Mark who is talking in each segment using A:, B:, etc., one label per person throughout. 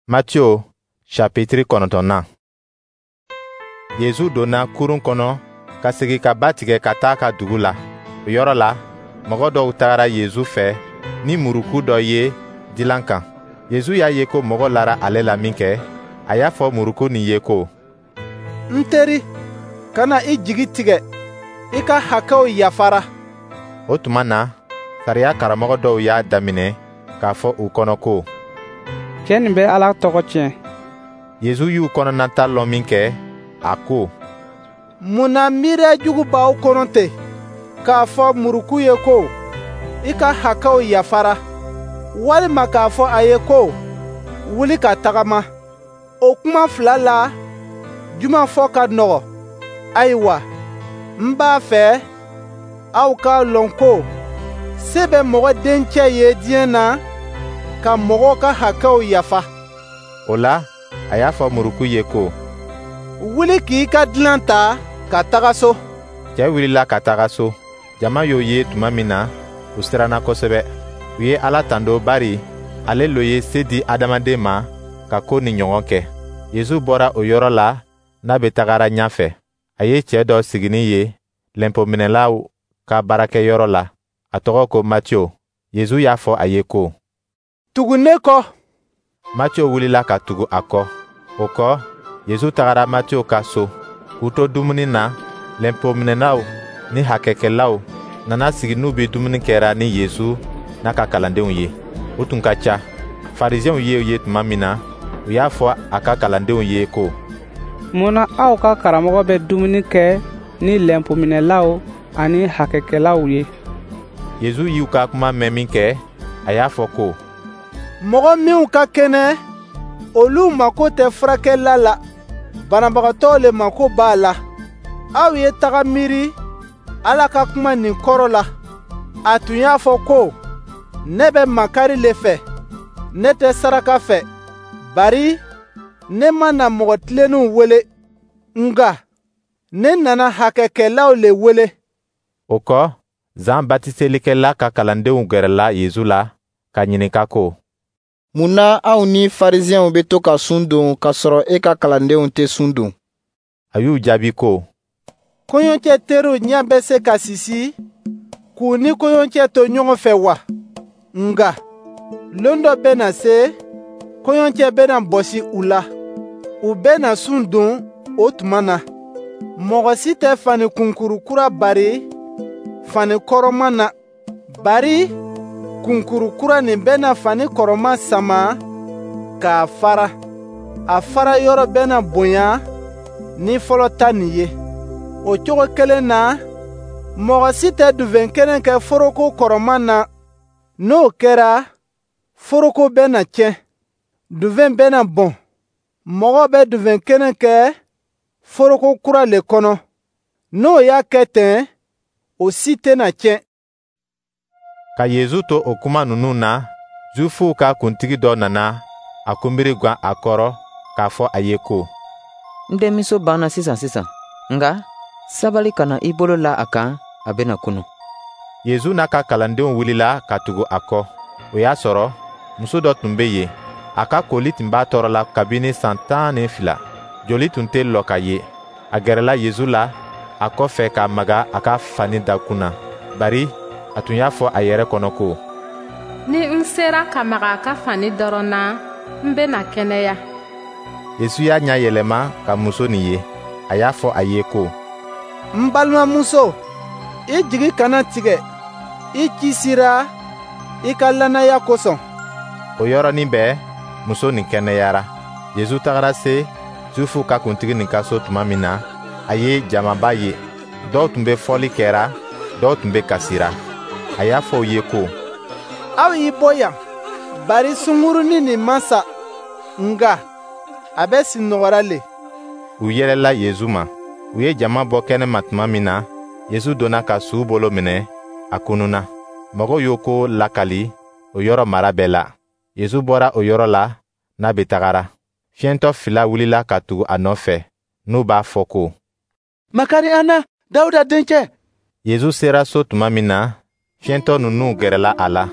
A: Matiyo chapitiri 9nan. Yezu donna kurun kɔnɔ ka segin ka ba tigɛ ka taa a ka dugu la. O yɔrɔ la, mɔgɔ dɔw tagara Yezu fɛ ni muruku dɔ ye dilan kan. Yezu y'a ye ko mɔgɔw lara ale la minkɛ, a y'a fɔ muruku nin ye ko:
B: «N teri, kana i jigi tigɛ, i ka hakɛw yafara.»
A: O tuma na, sariya karamɔgɔ dɔw y'a daminɛ k'a fɔ u kɔnɔ ko:
C: «Cɛ nin bɛ Ala tɔgɔ tiɲɛ.»
A: Yezu y'u kɔnɔnata lɔn minkɛ, a ko:
B: «Mun na miiriya jugu b'aw kɔnɔ ten, k'a fɔ muruku ye ko: ‹I ka hakɛw yafara,› walima k'a fɔ a ye ko: ‹Wuli ka tagama?› O kuma fila la, jumɛn fɔ ka nɔgɔ? Ayiwa, n b'a fɛ aw k'a lɔn ko se bɛ Mɔgɔ Dencɛ ye diɲɛ na ka mɔgɔw ka hakɛw yafa.»
A: O la, a y'a fɔ muruku ye ko:
B: «Wuli k'i ka dilan ta ka taga so.»
A: Cɛ wulila ka taga so. Jama y'o ye tuma min na, u siranna kosɛbɛ. U ye Ala tando bari ale lo ye se di adamaden ma ka ko nin ɲɔgɔn kɛ. Yezu bɔra o yɔrɔ la n'a bɛ tagara ɲɛfɛ. A ye cɛɛ dɔ siginin ye lɛnpominɛlaw ka baarakɛyɔrɔ la, a tɔgɔ ko Matiyo. Yezu y'a fɔ a ye ko:
B: «Tugu ne kɔ.»
A: Matiyo wulila ka tugu a kɔ. O kɔ, Yezu tagara Matiyo ka so. K'u to dumuni na, lɛnpominɛlaw ni hakɛkɛlaw nana sigi n'u bɛ dumuni kɛra ni Yezu n'a ka kalandenw ye. U tun ka ca. Farisiɛnw y'o ye tuma min na, u y'a fɔ a ka kalandenw ye ko:
C: «Mun na aw ka karamɔgɔ bɛ dumuni kɛ ni lɛnpominɛlaw ani hakɛkɛlaw ye?»
A: Yezu y'u ka kuma mɛn minkɛ, a y'a fɔ ko:
B: «Mɔgɔ minw ka kɛnɛ, olu mako tɛ furakɛla la, banabagatɔw le mako b'a la. Aw ye taga miiri Ala ka kuma nin kɔrɔ la. A tun y'a fɔ ko: ‹Ne bɛ makari le fɛ, ne tɛ saraka fɛ.› Bari ne ma na mɔgɔ tilenninw wele, nka ne nana hakɛkɛlaw le wele.»
A: O kɔ, Zan batiselikɛla ka kalandenw gɛrɛla Yezu la k'a ɲininka ko:
D: «Mun na anw ni Farisiɛnw bɛ to ka sun don k'a sɔrɔ e ka kalandenw tɛ sun don?»
A: A y'u jaabi ko:
B: «Kɔɲɔcɛ teriw ɲɛ bɛ se ka sisi k'u ni kɔɲɔcɛ to ɲɔgɔn fɛ wa? Nka lon dɔ bɛna se, kɔɲɔcɛ bɛna bɔsi u la. U bɛna sun don o tuma na. Mɔgɔ si tɛ fani kunkuru kura bari fani kɔrɔman na, bari kunkuru kura nin bɛna fani kɔrɔman sama k'a fara. A fara yɔrɔ bɛna bonya ni fɔlɔ ta nin ye. O cogo kelen na, mɔgɔ si tɛ diwɛn kɛnɛ kɛ foroko kɔrɔman na. N'o kɛra, foroko bɛna tiɲɛ, diwɛn bɛna bɔn. Mɔgɔ bɛ diwɛn kɛnɛ kɛ foroko kura le kɔnɔ. N'o y'a kɛ ten, o si tɛna tiɲɛ.»
A: Ka Yezu to o kuma ninnu na, Zuwifuw ka kuntigi dɔ nana a kunbiri gwan a kɔrɔ k'a fɔ a ye ko:
E: «N denmuso banna sisan sisan, nka sabali ka na i bolo la a kan, a bɛna kunu.»
A: Yezu n'a ka kalandenw wulila ka tugu a kɔ. O y'a sɔrɔ, muso dɔ tun bɛ yen. A ka koli tun b'a tɔɔrɔ la kabini san 12. Joli tun tɛ lɔ ka ye. A gɛrɛla Yezu la a kɔfɛ ka maga a ka fani dakun na, bari a tun y'a fɔ a yɛrɛ kɔnɔ ko:
F: «Ni n sera ka maga a ka fani dɔrɔn na, n bɛna kɛnɛya.»
A: Yezu y'a ɲɛ yɛlɛma ka muso nin ye. A y'a fɔ a ye ko:
B: «N balimamuso, i jigi kana tigɛ, i kisira i ka lannaya kosɔn.»
A: O yɔrɔnin bɛɛ, muso nin kɛnɛyara. Yezu tagara se Zuwifuw ka kuntigi nin ka so tuma min na, a ye jamaba ye. Dɔw tun bɛ fɔli kɛra, dɔw tun bɛ kasira. A y'a fɔ u ye ko:
B: «Aw y'i bɔ yan, bari sungurunnin nin ma sa, nka a bɛ sinɔgɔra le.»
A: U yɛlɛla Yezu ma. U ye jama bɔ kɛnɛma tuma min na, Yezu donna ka su bolo minɛ, a kununna. Mɔgɔw y'o ko lakali o yɔrɔ mara bɛɛ la. Yezu bɔra o yɔrɔ la n'a bɛ tagara. Fiyɛntɔ fila wulila ka tugu a nɔfɛ, n'u b'a fɔ ko:
G: «Makari an na, Dawuda dencɛ.»
A: Yezu sera so tuma min na, fiyɛntɔ ninnu gɛrɛla a la.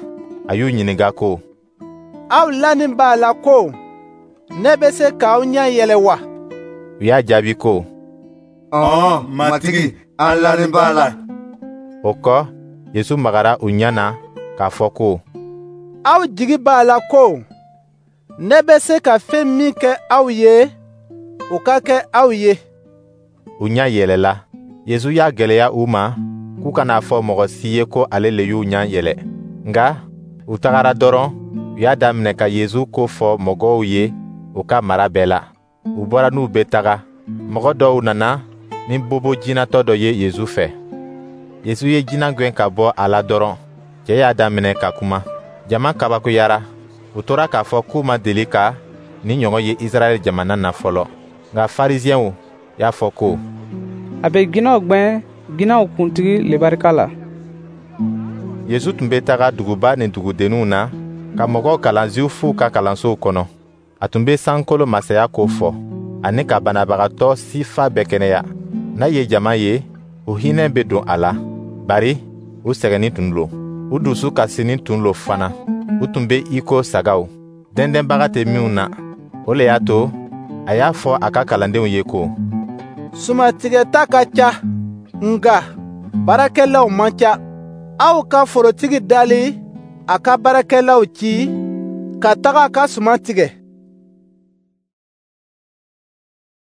A: A y'u ɲininka ko:
B: «Aw lanin b'a la ko Ne bɛ se k'aw ɲɛ yɛlɛ wa?
A: U y'a jaabi ko:
H: Ɔwɔ, Matigi, an lanin b'a la.
A: O kɔ, Yesu magara u ɲɛ na k'a fɔ ko:
B: Aw jigi b'a la ko ne bɛ se ka fɛn min kɛ aw ye, o ka kɛ aw ye.
A: U ɲɛ yɛlɛla. Yesu y'a gwɛlɛya u ma k'u kana a fɔ mɔgɔ si ye ko ale le y'u ɲɛ yɛlɛ. Nka u tagara dɔrɔn, u y'a daminɛ ka Yesu ko fɔ mɔgɔw ye u ka mara bɛɛ la. U bɔra n'u bɛ taga, mɔgɔ dɔw nana ni bobo jinatɔ dɔ ye Yesu fɛ. Yesu ye jinɛ gɛn ka bɔ a la dɔrɔn, cɛ y'a daminɛ ka kuma. Jama kabakoyara, u tora k'a fɔ k'u ma deli ka nin ɲɔgɔn ye Israɛl jamana na fɔlɔ. Nka Farisiɛnw y'a fɔ ko:
C: A bɛ jinɛw gwɛn jinɛw kuntigi le barika la.
A: Yesu tun bɛ taga duguba ni dugudenninw na ka mɔgɔw kalan Zuwifuw ka kalansow kɔnɔ. A tun bɛ sankolo masaya ko fɔ, ani ka banabagatɔ sifa bɛɛ kɛnɛya. N'a ye jama ye, u hinɛ bɛ don a la, bari u sɛgɛnnin tun lo, u dusu kasinin tun lo fana. U tun bɛ i ko sagaw, dɛndɛnbaga tɛ minnu na. O le y'a to a y'a fɔ a ka kalandenw ye ko:
B: Sumantigɛta ka ca, nka baarakɛlaw man ca. Aw ka forotigi dali a ka baarakɛlaw ci ka taga a ka suman tigɛ.